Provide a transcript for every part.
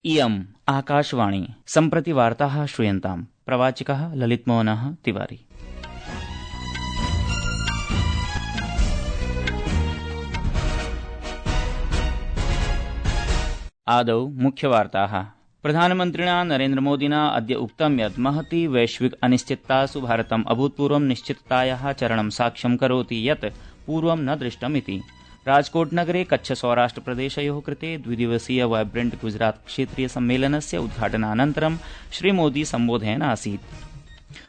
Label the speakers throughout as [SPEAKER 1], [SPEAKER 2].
[SPEAKER 1] इयम् आकाशवाणी सम्प्रति वार्ताः श्रूयन्ताम्। प्रवाचिकः ललितमोहनः तिवारी। आदौ मुख्यवार्ताः। प्रधानमन्त्रिणा नरेन्द्रमोदिना अद्य उक्तं यत् महती वैश्विक अनिश्चिततासु भारतम् अभूतपूर्वं निश्चिततायाः चरणं साक्ष्यं करोति यत् पूर्वं न दृष्टमिति। राजकोट नगरे कच्छ सौराष्ट्र प्रदेशयोः कृते द्विदिवसीय वाइब्रेंट गुजरात क्षेत्रीय सम्मेलनस्य उद्घाटनानन्तरं श्रीमोदी सम्बोधयन् आसीत्।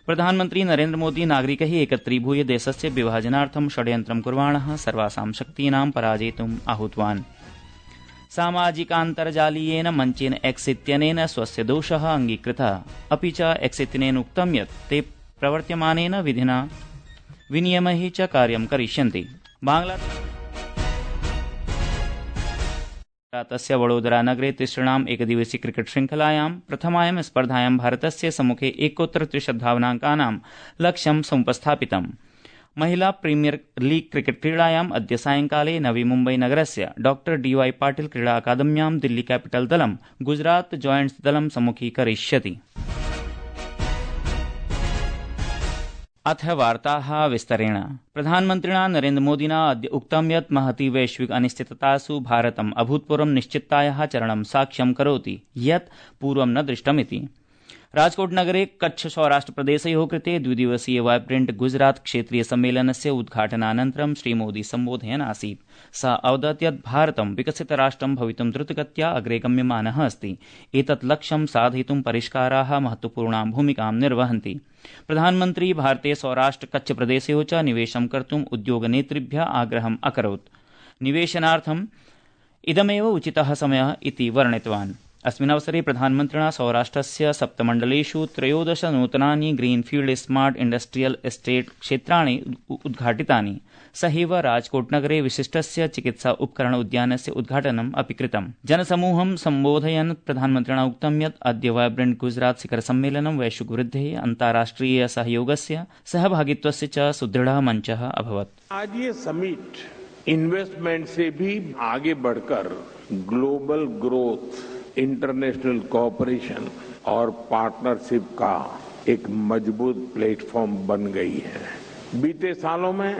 [SPEAKER 1] प्रधानमन्त्री नरेन्द्रमोदी नागरिकैः एकत्रीभूय देशस्य विभाजनार्थं षड्यन्त्रं कुर्वाणः सर्वासां शक्तीनां पराजेतुम् आहूतवान्। सामाजिकान्तर्जालीयेन मञ्चेन एक्स इत्यनेन स्वस्य दोषः अङ्गीकृतः, अपि च एक्स इत्यनेन उक्तं यत् ते प्रवर्त्यमानेन विधिना विनियमैः च कार्यं करिष्यन्ति। बांग्लादेशस्य वडोदरा नगरे तिसृणाम् एकदिवसीय क्रिकेट श्रृंखलायां प्रथमायां स्पर्धायां भारतस्य सम्मुखे 130 धावनाङ्कानां लक्ष्यं समुपस्थापितम्। महिला प्रीमियर लीग क्रिकेट क्रीडायाम् अद्य सायंकाले नवी मुम्बई नगरस्य डॉ DY पाटिल क्रीडा अकादम्यां दिल्ली कैपिटल दलं गुजरात जॉयंट्स दलं सम्मुखीकरिष्यति। अथ वार्ताः विस्तरेण। प्रधानमन्त्रिणा नरेन्द्रमोदिना अद्य उक्तं यत् महती वैश्विक अनिश्चिततासु भारतम् अभूतपूर्वं निश्चिततायाः चरणं साक्ष्यं करोति यत् पूर्वं न दृष्टमिति। राजकोट नगरे कच्छ सौराष्ट्र प्रदेशयोः कृते द्विदिवसीय वाइब्रेंट गुजरात क्षेत्रीय सम्मेलनस्य उद्घाटनानन्तरं श्रीमोदी सम्बोधयन् आसीत्। सः अवदत् यत् भारतं विकसितराष्ट्रं भवितुं द्रुतगत्या अग्रे गम्यमानः अस्ति। एतत् लक्ष्यं साधयितुं परिष्काराः महत्वपूर्णां भूमिकां निर्वहन्ति। प्रधानमन्त्री भारते सौराष्ट्र कच्छ प्रदेशयोः च निवेशं कर्तुम् उद्योगनेतृभ्यः आग्रहम् अकरोत्। निवेशनार्थम् इदमेव उचितः समयः इति वर्णितवान्। अस्मिन् अवसरे प्रधानमन्त्रिणा सौराष्ट्रस्य 7 मण्डलेषु 13 नूतनानि ग्रीनफील्ड स्मार्ट इंडस्ट्रियल एस्टेट क्षेत्राणि उद्घाटितानि। सहैव राजकोट नगरे विशिष्टस्य चिकित्सा उपकरण उद्यानस्य उद्घाटनम् अपि कृतम्। जनसमूहं सम्बोधयन् प्रधानमन्त्रिणा उक्तं यत् अद्य वाइब्रेंट गुजरात शिखर सम्मेलनं वैश्विक वृद्धेः अन्ताराष्ट्रिय सहयोगस्य सहभागित्वस्य च सुदृढः मञ्चः अभवत्।
[SPEAKER 2] आज ये समिट इन्वेस्टमेंट से भी आगे बढ़कर ग्लोबल ग्रोथ, इंटरनेशनल कोऑपरेशन और पार्टनरशिप का एक मजबूत प्लेटफॉर्म बन गई है। बीते सालों में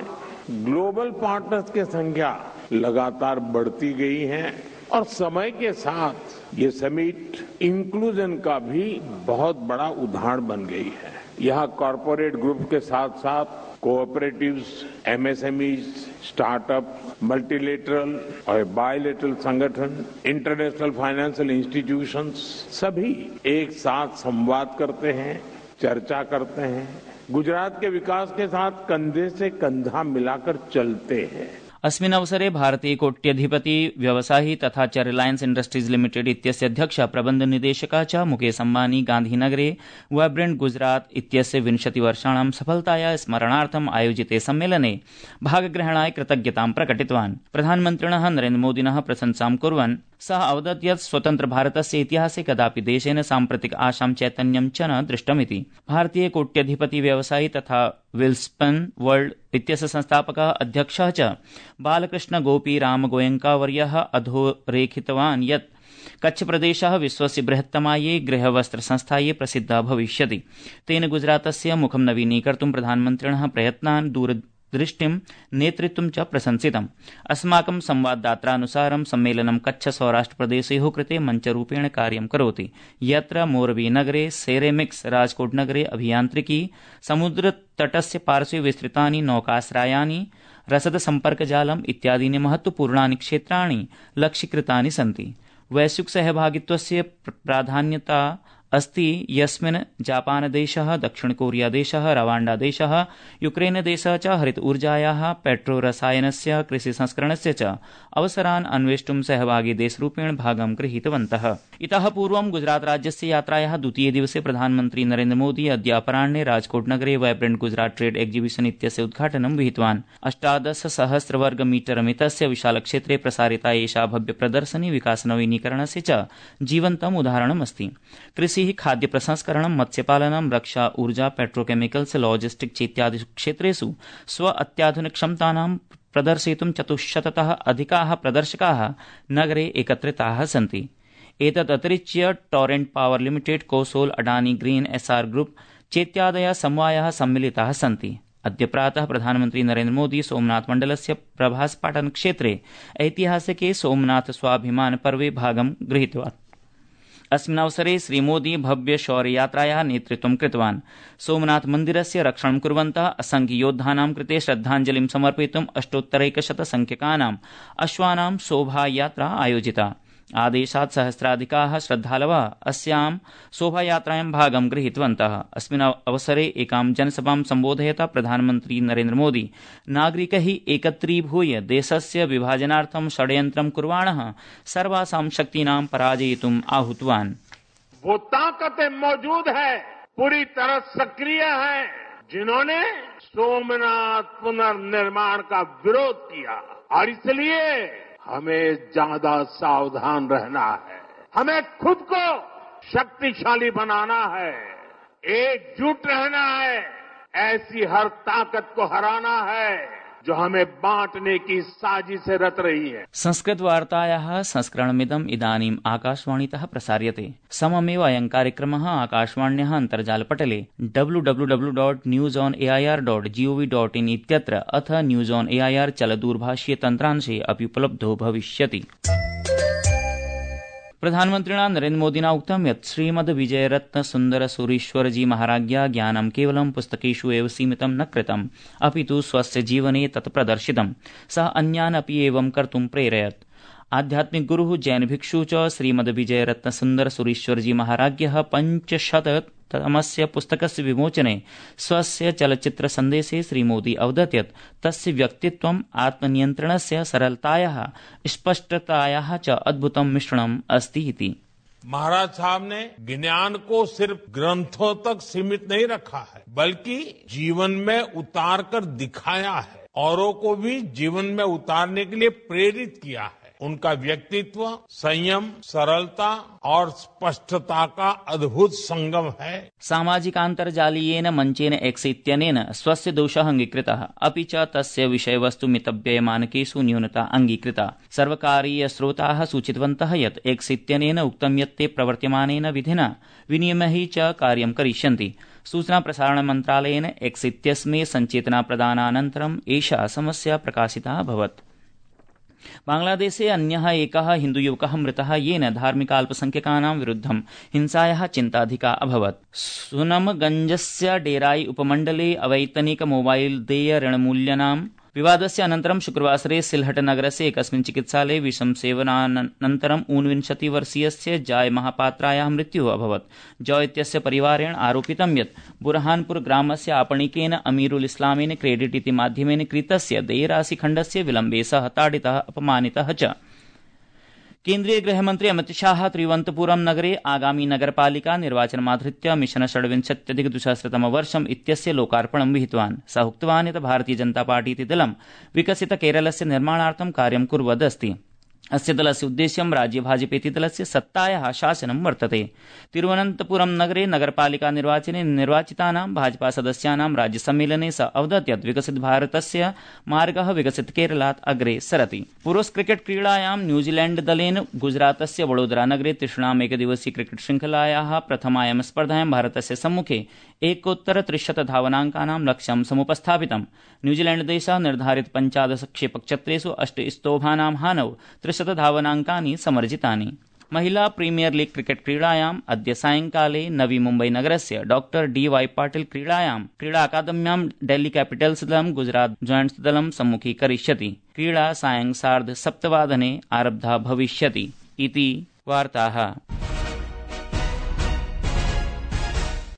[SPEAKER 2] ग्लोबल पार्टनर्स की संख्या लगातार बढ़ती गई है और समय के साथ ये समिट इंक्लूजन का भी बहुत बड़ा उदाहरण बन गई है। यहाँ कॉरपोरेट ग्रुप के साथ साथ कोऑपरेटिव्स, एमएसएमईज, स्टार्टअप, मल्टीलेटरल और बायलेटरल संगठन, इंटरनेशनल फाइनेंशियल इंस्टीट्यूशंस सभी एक साथ संवाद करते हैं, चर्चा करते हैं, गुजरात के विकास के साथ कंधे से कंधा मिलाकर चलते हैं।
[SPEAKER 1] अस्मिन् अवसरे भारतीय कोट्यधिपति व्यवसायी तथा च रिलायंस इंडस्ट्रीज लिमिटेड इत्यस्य अध्यक्ष प्रबन्ध निदेशकः च मुकेश अम्बानी गांधीनगरे वाइब्रेंट गुजरात इत्यस्य 20 वर्षाणां सफलताया स्मरणार्थम् आयोजिते सम्मेलने भागग्रहणाय कृतज्ञतां प्रकटितवान्। प्रधानमन्त्रिणः नरेन्द्रमोदिनः प्रशंसां कुर्वन् सः अवदत् यत् स्वतन्त्र भारतस्य इतिहासे कदापि देशेन साम्प्रतिक आशां चैतन्यं च न दृष्टमिति। भारतीय कोट्यधिपति व्यवसायी तथा विल्स्पन् वर्ल्ड इत्यस्य संस्थापकः अध्यक्षः च बालकृष्ण गोपी राम गोयंकावर्यः अधोरेखितवान् यत् कच्छ प्रदेशः विश्वस्य बृहत्तमायै गृहवस्त्र संस्थायै प्रसिद्धः भविष्यति। तेन गुजरातस्य मुखं नवीनीकर्तुं प्रधानमन्त्रिणः प्रयत्नान् दूरदृष्टिं नेतृत्वं च प्रशंसितम्। अस्माकं संवाददात्रानुसारं सम्मेलनं कच्छ सौराष्ट्र प्रदेशयोः कृते मञ्चरूपेण कार्यं करोति, यत्र मोरबी नगरे सेरेमिक्स, राजकोट नगरे अभियान्त्रिकी, समुद्रतटस्य पार्श्वे विस्तृतानि नौकाश्रयानि, रसद सम्पर्कजालम् इत्यादीनि महत्वपूर्णानि क्षेत्राणि लक्ष्यीकृतानि सन्ति। वैश्विक सहभागित्वस्य प्राधान्यता अस्ति, यस्मिन् जापानदेशः, दक्षिणकोरियादेशः, रवाण्डादेशः, यूक्रेनदेशः च हरित ऊर्जायाः, पेट्रोरसायनस्य, कृषिसंस्करणस्य च अवसरान् अन्वेष्टुं सहभागी देशरूपेण भागं गृहीतवन्तः। इतः पूर्वं गुजरात राज्यस्य यात्रायाः द्वितीये दिवसे प्रधानमन्त्री नरेन्द्रमोदी अद्य अपराह्ने राजकोट नगरे वाइब्रेंट गुजरात ट्रेड एक्जिबिशन इत्यस्य उद्घाटनं विहितवान्। 18,000 वर्गमीटर मितस्य विशालक्षेत्रे प्रसारिता एषा भव्य प्रदर्शनी विकासनवीनीकरणस्य च जीवन्तम् उदाहरणमस्ति। कृषि, खाद्य प्रसंस्करणं, मत्स्यपालनं, रक्षा, ऊर्जा, पेट्रोकेमिकल्स, लॉजिस्टिक्स इत्यादिषु क्षेत्रेषु स्व अत्याधुनिक क्षमतानां प्रदर्शयितुं 400तः अधिकाः प्रदर्शकाः नगरे एकत्रिताः सन्ति। एतदतिरिच्य टॉरेंट पावर लिमिटेड, कोसोल, अडानी ग्रीन, एसआर ग्रुप चेत्यादयः समवायाः सम्मिलिताः सन्ति। अद्य प्रातः प्रधानमन्त्री नरेन्द्र मोदी सोमनाथ मण्डलस्य प्रभासपाटन क्षेत्रे ऐतिहासिके सोमनाथ स्वाभिमान पर्वे भागं गृहीतवान्। अस्मिन् अवसरे श्रीमोदी भव्य शौर्ययात्रायाः नेतृत्वं कृतवान्। सोमनाथ मन्दिरस्य रक्षणं कुर्वन्तः असंख्ययोद्धानां कृते श्रद्धाञ्जलिं समर्पयितुम् 8,100 संख्यकानाम् अश्वानां शोभायात्रा आयोजिता। आदेशात् सहस्राधिकाः श्रद्धालवः अस्यां शोभायात्रायां भागं गृहीतवन्तः। अस्मिन् अवसरे एकां जनसभां सम्बोधयता प्रधानमन्त्री नरेन्द्र मोदी नागरिकैः एकत्रीभूय देशस्य विभाजनार्थं षड्यन्त्रं कुर्वाणः सर्वासां शक्तीनां पराजयितुम् आहूतवान्।
[SPEAKER 2] वो ताकतें मौजूद है, पूरी तरह सक्रिय है, जिन्होंने सोमनाथ पुनर्निर्माण का विरोध किया और इसलिए हमें ज्यादा सावधान रहना है। हमें खुद को शक्तिशाली बनाना है, एकजुट रहना है, ऐसी हर ताकत को हराना है जो हमें बांटने की साजिशें रच रही है।
[SPEAKER 1] संस्कृत वार्तायाः संस्करणमिदम् इदानीम् आकाशवाणीतः प्रसार्यते। सममेव अयं कार्यक्रमः आकाशवाण्याः अन्तर्जालपटले www.newsonair.gov.in इत्यत्र अथ न्यूज ऑन एआईआर चलदूरभाषीय तन्त्रांशे अपि उपलब्धो भविष्यति। प्रधानमन्त्रिणा नरेन्द्रमोदिना उक्तं यत् श्रीमद्विजयरत्नसुन्दरसूरीश्वरजी महाराज्ञा ज्ञानं केवलं पुस्तकेषु एव सीमितं न कृतम्, अपि तु स्वस्य जीवने तत् प्रदर्शितम्। सः अन्यान् अपि एवं कर्तुं प्रेरयत्। आध्यात्मिक गुरुः जैन भिक्षु च श्रीमद्विजयरत्नसुन्दरसूरीश्वरजी महाराज्ञः 500तमस्य पुस्तकस्य विमोचने स्वस्य चलच्चित्रसन्देशे श्रीमोदी अवदत् यत् तस्य व्यक्तित्वम् आत्मनियन्त्रणस्य, सरलतायाः, स्पष्टतायाः च अद्भुतं मिश्रणम् अस्ति इति।
[SPEAKER 2] महाराज साहब ने ज्ञान को सिर्फ ग्रंथों तक सीमित नहीं रखा है, बल्कि जीवन में उतार कर दिखाया है, औरों को भी जीवन में उतारने के लिए प्रेरित किया है। उनका व्यक्तित्व संयम, सरलता और स्पष्टता का अद्भुत संगम है।
[SPEAKER 1] सामाजिकान्तर्जालीयेन मञ्चेन एक्स इत्यनेन स्वस्य दोषः अङ्गीकृतः, अपि च तस्य विषयवस्तु मितव्ययमानकेषु न्यूनता अङ्गीकृता। सर्वकारीयस्रोताः सूचितवन्तः यत् एक्स इत्यनेन उक्तं यत् ते प्रवर्त्यमानेन विधिना विनियमैः च कार्यं करिष्यन्ति। सूचना प्रसारण मन्त्रालयेन एक्स इत्यस्मै सञ्चेतनाप्रदानानन्तरम् एषा समस्या प्रकाशिता अभवत्। बांग्लादेशे अन्यः एकः हिन्दुयुवकः मृतः, येन धार्मिकाल्पसंख्यकानां विरुद्धं हिंसायाः चिन्ताधिका अभवत्। सुनमगंजस्य डेराई उपमण्डले अवैतनिक मोबाइल देय ऋणमूल्यानां विवादस्य अनन्तरं शुक्रवासरे सिलहट नगरस्य एकस्मिन् चिकित्सालये विषमसेवनानन्तरं 29-वर्षीयस्य जॉय महापात्रायाः मृत्युः अभवत्। जॉय इत्यस्य परिवारेण आरोपितं यत् बुरहानपुर ग्रामस्य आपणिकेन अमीरुल इस्लामेन क्रेडिट इति माध्यमेन कृतस्य देयराशिखण्डस्य विलम्बे सः ताडितः, अपमानितः च। केन्द्रीय गृहमन्त्री अमित शाह त्रिवन्तपुरम नगरे आगामी नगरपालिका निर्वाचनमाधृत्य मिशन 26-2000 इत्यस्य लोकार्पणं विहितवान्। सः उक्तवान् यत् भारतीय जनता पार्टी इति दलं विकसित केरलस्य निर्माणार्थं कार्यं कुर्वदस्ति। अस्य दलस्य उद्देश्यं राज्य भाजपेति दलस्य सत्तायाः शासनं वर्तते। तिरुवनन्तपुरम नगरे नगरपालिका निर्वाचने निर्वाचितानां भाजपा सदस्यानां राज्यसम्मेलने स अवदत् यत् विकसित भारतस्य मार्गः विकसित केरलात् अग्रे सरति। पुरुष क्रिकेट क्रीडायां न्यूजीलैंड दलेन गुजरातस्य वडोदरा नगरे तिसृणाम् एकदिवसीय क्रिकेट श्रृंखलायाः प्रथमायां स्पर्धायां भारतस्य सम्मुखे 1,300 धावनाङ्कानां लक्ष्यं समुपस्थापितम्। न्यूजीलैंड देशः निर्धारित 15 क्षेपकक्षत्रेषु 8 स्तोभानां हानौ 300 धावनाङ्कानि समर्जितानि। महिला प्रीमियर लीग क्रिकेट क्रीडायाम् अद्य सायंकाले नवी मुम्बई नगरस्य डॉ डी.वाई. पाटिल क्रीडा अकादम्यां डेल्ली कैपिटल्स दलं गुजरात जायंट्स दलं सम्मुखीकरिष्यति। क्रीडा सायं 7:30 आरब्धा भविष्यति इति वार्ताः।